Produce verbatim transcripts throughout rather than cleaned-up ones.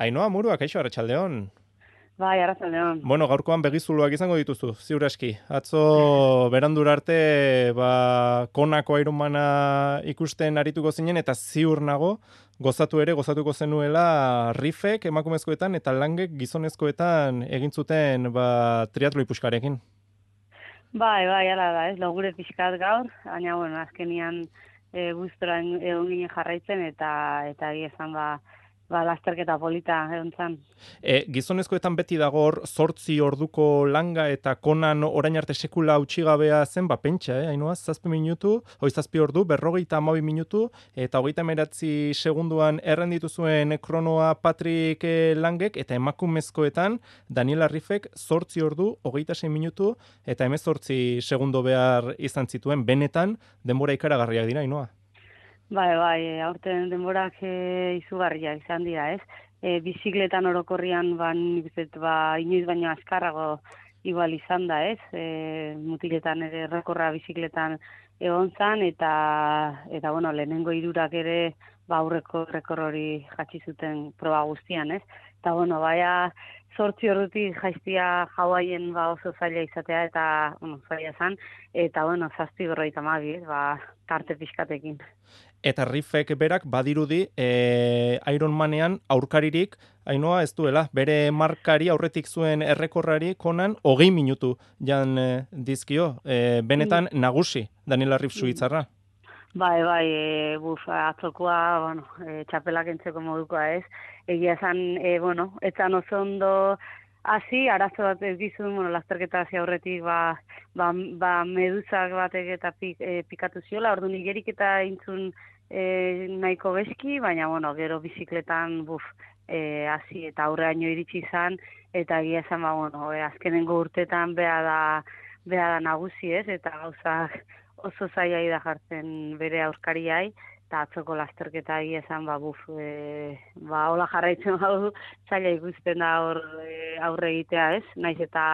Ainhoa Murua, kaixo, arratsaldeon. Bai, arratsaldeon. Bueno, gaurkoan begizuluak izango dituzu, ziur aski. Atzo berandura arte, ba, konako Ironmana ikusten arituko zinen, eta ziur nago, gozatu ere, gozatuko zenuela Rifek emakumezkoetan eta Langek gizonezkoetan egin zuten ba, triatloi puskarekin. Bai, bai, ala da, ez, logure pixkat gaur, baina, bueno, azkenian e, guztora egon ginen jarraitzen, eta eta egia esan, ba, ba, lasterketa polita egon zan. E, gizonezkoetan beti dago hor zortzi orduko langa eta konan orain arte sekula utxigabea zen, ba pentsa, eh, Ainhoa, zazpi minutu, hoi zazpi ordu, berrogeita hamabi minutu, eta hogeita hemeretzi segunduan errenditu zuen kronoa Patrick Langek, eta emakumezkoetan Daniela Rifek zortzi ordu, hogeita sei minutu, eta hemezortzi segundo behar izan zituen, benetan denbora ikaragarriak dira, Ainhoa. Bai, bai, aurten denborak e, izugarriak izan dira, ez? E, bizikletan orokorrian, ba, nik uste dut, ba, inoiz baino azkarrago igual izan da, ez? E, mutiletan ere rekorra bizikletan egon zan, eta, eta bueno, lehenengo hirurak ere, ba, aurreko rekor hori jatsi zuten proba guztian, ez? Eta, bueno, baina, zortzi ordutik jaiztia Hawaien ba, oso zaila izatea, eta, bueno, zaila zan, eta, bueno, zazpi berrogeita hamabi, ez? Ba, tarte pixkatekin. Eta Rifek berak badirudi e, Ironmanean aurkaririk, Ainhoa ez duela, bere markari aurretik zuen errekorrari konan hogei minutu jan e, dizkio, e, benetan nagusi Daniela Rif suitzarra. Bai, bai, e, buf, atzokoa, bueno, e, txapelak entzeko modukoa ez, egia esan, e, bueno, etzan oso ondo hasi, arazo bat ez dizun, bueno, lasterketa hasi aurretik, ba, ba, ba meduzak batek eta pik, e, pikatu ziola, ordu nigerik eta intzun e, nahiko beski, baina, bueno, gero bizikletan, buf, e, hasi eta aurreaino iritsi izan, eta egia esan, ba, bueno, e, azkenengo urtetan beha da, beha da nagusi ez, eta gauzak oso zailai da jartzen bere aurkariai, eta atzoko lasterketa egia esan, ba, buf, e, ba, hola jarraitzen badu, zaila ikusten da hor e, aurre egitea ez, naiz eta,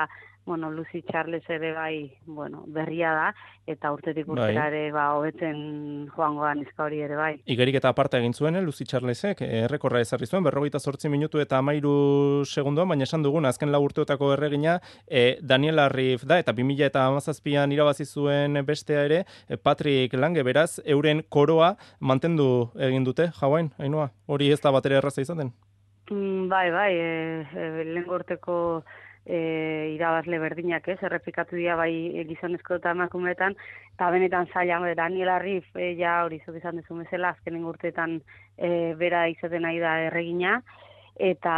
bueno, Lucy Charles ere bai, bueno, berria da, eta urtetik urtera ere, ba, hobetzen joangoa neska hori ere bai. Igerik eta aparte egin zuen, Lucy Charlesek, errekorra ezarri zuen, berrogeita zortzi minutu eta amairu segundoan, baina esan dugun, azken lau urteotako erregina, e, Daniela Riff da, eta bi mila hamazazpian irabazi zuen bestea ere, e, Patrick Lange, beraz, euren koroa mantendu egin dute, Hawain, Ainhoa, hori ez da batera erraza izaten? Mm, bai, bai, e, e, lehen gorteko E, irabazle berdinak ez, errepikatu dira bai gizonezko eta emakumeetan, eta benetan zaila, Daniela Riff, e, ja hori zuk izan dezu bezala, azkenen urteetan e, bera izaten nahi da erregina, eta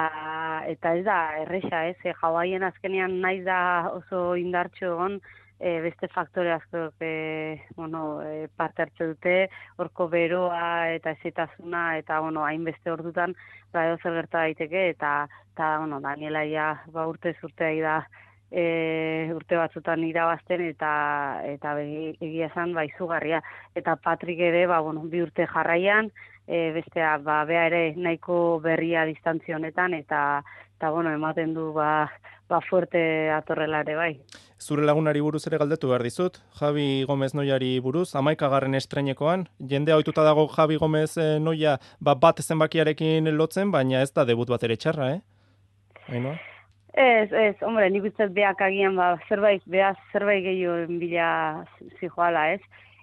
eta ez da erresa ez, e, Hawaien azkenean naiz da oso indartxo egon, e, beste faktore asko e, bueno, e, parte hartze dute, horko beroa eta ezetasuna, eta bueno, hainbeste ordutan, ba, edo zer gerta daiteke, eta, eta bueno, Daniela ja, ba, urte zurtea da, e, urte batzutan irabazten, eta eta begi, egia esan, ba, izugarria. Eta Patrick ere, ba, bueno, bi urte jarraian, e, bestea, ba, bea ere nahiko berria distantzio honetan, eta, eta bueno, ematen du, ba, ba, fuerte atorrela ere bai. Zure lagunari buruz ere galdetu behar dizut, Javi Gomez Noiari buruz, hamaikagarren estreinekoan, jende ohituta dago Javi Gomez Noia ba, bat zenbakiarekin lotzen, baina ez da debut bat ere txarra, eh? Ainhoa? Ez, ez, hombre, nik uste beak agian, ba, zerbait, beaz zerbait gehiago bila zijoala, ez?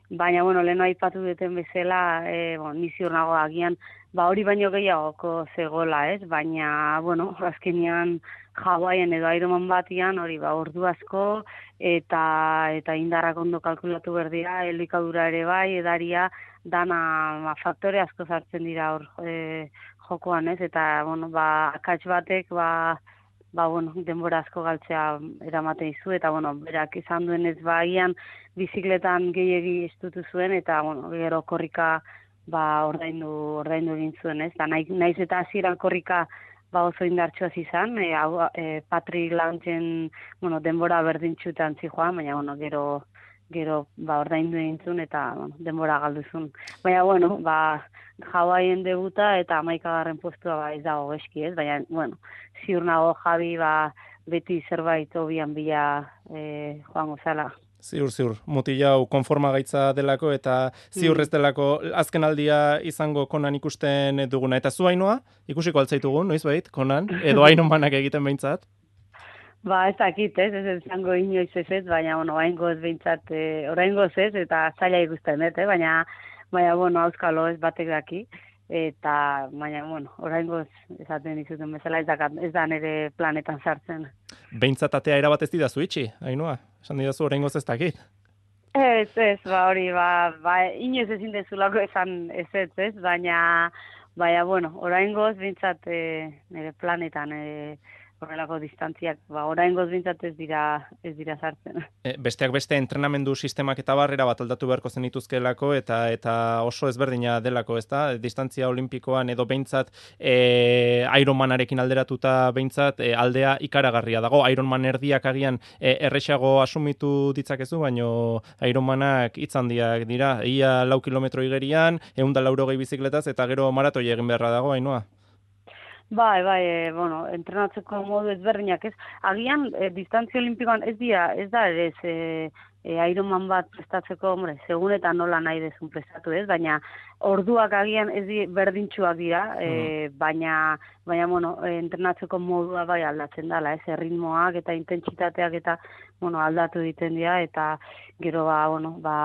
Baina, bueno, lehen aipatu duten bezala, e, bon, niziur nago agian, ba, hori baino gehiagoko zegoela, ez? Baina, bueno, azkenean Hawaien edo Ironman batian, hori, ba, ordu asko, eta eta indarrak ondo kalkulatu berdira, elikadura ere bai, edaria, dana, ba, faktore asko sartzen dira hor e, jokoan, ez? Eta, bueno, ba, akats batek, ba, ba, bueno, denbora asko galtzea eramaten izu, eta, bueno, berak izan duen ez baian bizikletan gehiegi estutu zuen, eta, bueno, gero korrika, ba, ordaindu, ordaindu egin zuen, ez? Da, naiz, naiz eta hasieran korrika, ba, oso indartxoaz izan, e, e, Patrick Langen, bueno, denbora berdintxutan zijoan, baina, bueno, gero, gero, ba, ordaindu egin zuen, eta, bueno, denbora galduzun. Baina, bueno, ba, Hawaien debuta eta hamaikagarren postua ba ez dago eski, ez? Baina, bueno, ziur nago Javi ba beti zerbait hobian bila e, joango zala. Ziur, ziur, mutilau konforma gaitza delako eta ziur ez delako azken aldia izango Konan ikusten duguna. Eta zu Ainhoa, ikusiko altzaitugun, noiz bait, Konan, edo Ironmanak egiten behintzat? Ba, ez dakit, ez, ez izango inoiz ez ez, baina, bueno, oraingoz behintzat, e, oraingoz ez, eta zaila ikusten dut, eh? baina, baina, bueno, auskalo ez batek daki, eta, baina, bueno, oraingoz esaten dizuten bezala ez, dakat, ez da nire planetan sartzen. Behintzat atea erabat ez didazu itxi, Ainhoa, esan didazu oraingoz ez dakit. Ez, ez, ba, hori, ba, ba, inoiz ezin dezulako esan ez ez, ez, baina, baina, bueno, oraingoz behintzat e, nire planetan, e, horrelako distantziak, ba, oraingoz bintzat ez dira, ez dira sartzen. E, besteak beste entrenamendu sistemak eta barrera bat aldatu beharko zenituzkelako eta eta oso ezberdina delako, ezta? Distantzia olimpikoan edo behintzat e, Ironmanarekin alderatuta behintzat e, aldea ikaragarria dago. Ironman erdiak agian e, erresago asumitu ditzakezu, baino Ironmanak hitz handiak dira. Ia lau kilometro igerian, ehun eta laurogei bizikletaz eta gero maratoi egin beharra dago, Ainhoa. Bai, bai, e, bueno, entrenatzeko modu ezberdinak ez. Agian, e, distantzia olimpikoan ez dira, ez da ere ez, e, e, Ironman bat prestatzeko, hombre, segun eta nola nahi dezun prestatu ez, baina orduak agian ez di, berdintxuak dira, e, baina, baina, bueno, e, entrenatzeko modua bai aldatzen dela, ez, erritmoak eta intentsitateak eta, bueno, aldatu egiten dira, eta gero, ba, bueno, ba,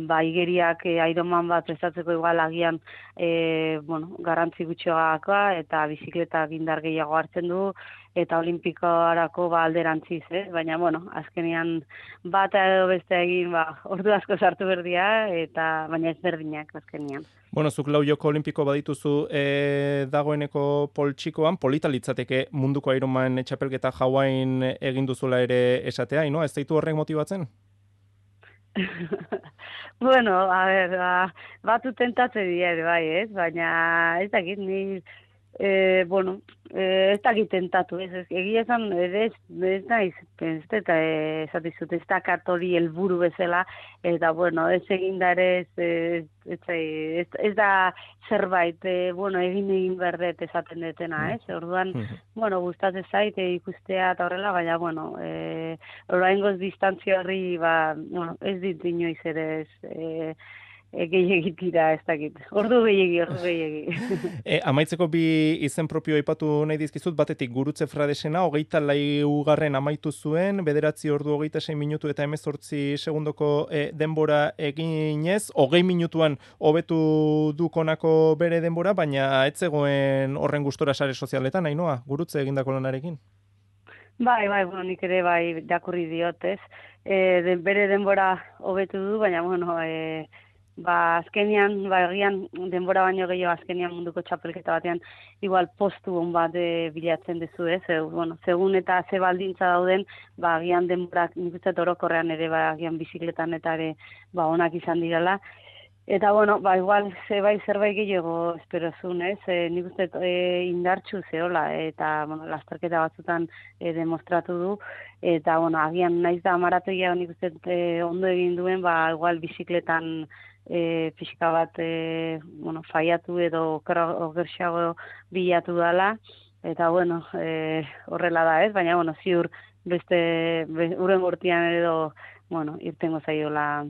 ba igeriak e, Ironman bat prestatzeko igual agian, e, bueno, garrantzi gutxoakoa, eta bizikletak indar gehiago hartzen du, eta olimpikoarako ba alderantziz, eh? Baina, bueno, azkenean bat edo beste egin, ba, ordu asko sartu berdia, eta baina ez berdinak azkenean. Bueno, zuk lau joko olimpiko badituzu e, dagoeneko poltsikoan, polita litzateke munduko Ironman txapelketa Hawaiian egin duzula ere esatea, no? Ez zaitu horrek motibatzen? Bueno, a ber, ba, batu tentatze dira, bai, ez? Baina ez dakit, ni E, bueno, e, ez dakit tentatu, ez, ez, egia esan, ez, ez naiz, ez eta esatizut, ez dakat hori helburu bezala, eta, bueno, ez egin da ere, ez, ez, ez, ez, ez da zerbait, e, bueno, egin egin berdet esaten detena, ez, orduan, bueno, gustatzen zait, e, ikustea eta horrela, baina, bueno, e, oraingoz distantzia horri, ba, bueno, ez dit inoiz ere, ez, e, gehiegi tira, ez dakit. Ordu gehiegi, ordu gehiegi. e, amaitzeko bi izen propio aipatu nahi dizkizut, batetik Gurutze Fradesena, hogeita laugarren amaitu zuen, bederatzi ordu hogeita sei minutu eta hemezortzi segundoko e, denbora eginez, hogei minutuan hobetu du Konako bere denbora, baina ez zegoen horren gustora sare sozialetan, Ainhoa, Gurutze egindako lanarekin. Bai, bai, bueno, nik ere bai dakurri diotez. E, de, bere denbora hobetu du, baina, bueno, e, ba, azkenian, ba, egian denbora baino gehiago azkenian munduko txapelketa batean igual postu on bat e, bilatzen dezu, ez? E, bueno, segun eta ze baldintza dauden, ba, agian denborak nik uste orokorrean ere, ba, agian bizikletan eta ere, ba, onak izan direla. Eta, bueno, ba, igual, ze bai zerbait gehiago espero zuen, ez? E, nik uste e, indartxu zehola, eta, bueno, lasterketa batzutan e, demostratu du, eta, bueno, agian naiz da maratoia nik uste e, ondo egin duen, ba, igual bizikletan e, pixka bat, e, bueno, faiatu edo okerxago bilatu dela, eta, bueno, e, horrela da, ez? Baina, bueno, ziur beste, be, uren gortian edo, bueno, irtengo zaiola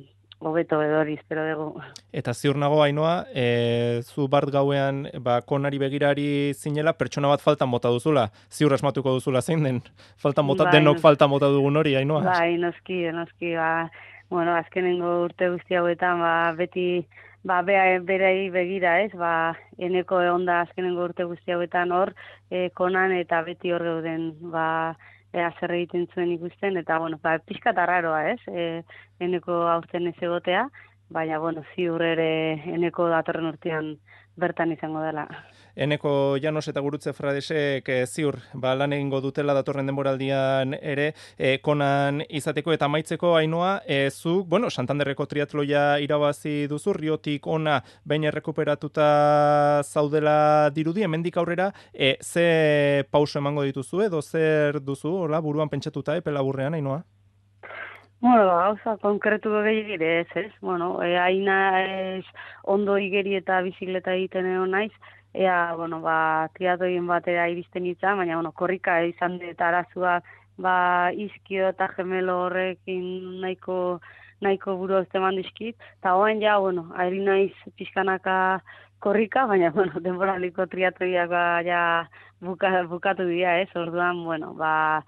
hobeto edori, espero dugu. Eta ziur nago, Ainhoa, e, zu bart gauean ba, Konari begirari zinela, pertsona bat faltan mota duzula. Ziur asmatuko duzula zein den. Faltan mota, bai, denok falta mota dugun hori, Ainhoa. Bai, noski, noski, ba, bueno, azkenengo urte guzti hauetan, ba, beti, ba, bea, berei begira, ez, ba, eneko onda azkenengo urte guzti hauetan hor, e, Konan eta beti hor geuden, ba, ea zer egiten zuen ikusten, eta, bueno, ba, pixka eta raroa, ez, e, eneko aurten ez egotea, baina, bueno, ziur ere eneko datorren urtean bertan izango dela. Eneko Llanos eta Gurutze Fradesek e, ziur, ba, lan egingo dutela datorren denboraldian ere, e, Konan izateko eta amaitzeko, Ainhoa, e, zuk, bueno, Santanderreko triatloia irabazi duzu, Riotik ona behin errekuperatuta zaudela dirudi, hemendik aurrera, e, ze pauso emango dituzu edo zer duzu, hola, buruan pentsatuta epe laburrean, Ainhoa? Bueno, gauza, konkretu gehiagire ez, ez? Bueno, e, aina ez ondo igeri eta bizikleta egiten egon naiz, ea, bueno, ba, triatoien batera iristen izan, baina, bueno, korrika izan dut arazua ba, izkio eta gemelo horrekin nahiko, nahiko buru eman dizkit. Eta hoen ja, bueno, ari naiz pixkanaka korrika, baina, bueno, denboraliko triatroiak ba, ja buka, bukatu dira, ez? Orduan, bueno, ba,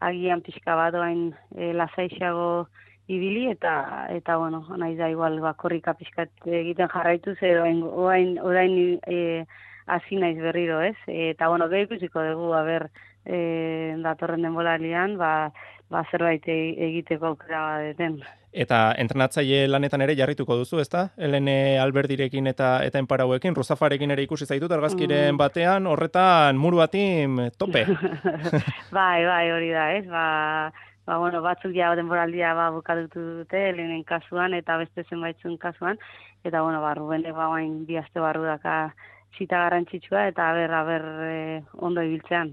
agian pixka bat oain e, lasaixago ibili, eta, eta bueno, nahi da igual, ba, korrika pixkat egiten jarraitu, zer orain, orain, orain e, hasi naiz berriro, ez? Eta, bueno, gero ikusiko dugu, aber, e, datorren denboralian, ba, ba zerbait e- egiteko aukera badeten. Eta entrenatzaile lanetan ere jarrituko duzu, ezta? Helene Alberdirekin eta eta enparauekin, Ruzafarekin ere ikusi zaitut argazkiren Mm. batean, horretan muru batin tope. Bai, bai, hori da, ez? Ba, ba bueno, batzuk ja denboraldia ba bukatutu dute Helenen kasuan eta beste zenbaitzun kasuan, eta bueno, ba Rubenek ba orain bi aste barru daka zita garrantzitsua, eta aber aber e, ondo ibiltzean.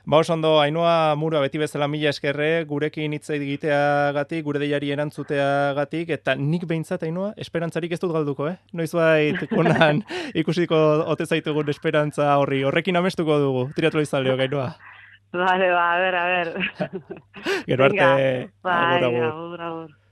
Ba, oso ondo, Ainhoa Murua beti bezala mila eskerre, gurekin hitz egiteagatik, gure deiari erantzuteagatik, eta nik behintzat, Ainhoa, esperantzarik ez dut galduko, eh? Noizbait konan ikusiko ote zaitugun esperantza horri, horrekin amestuko dugu, triatloizaleok, Ainhoa. Vale, ba, a ver, a ver. Gero arte, Bai, agur, agur. agur, agur.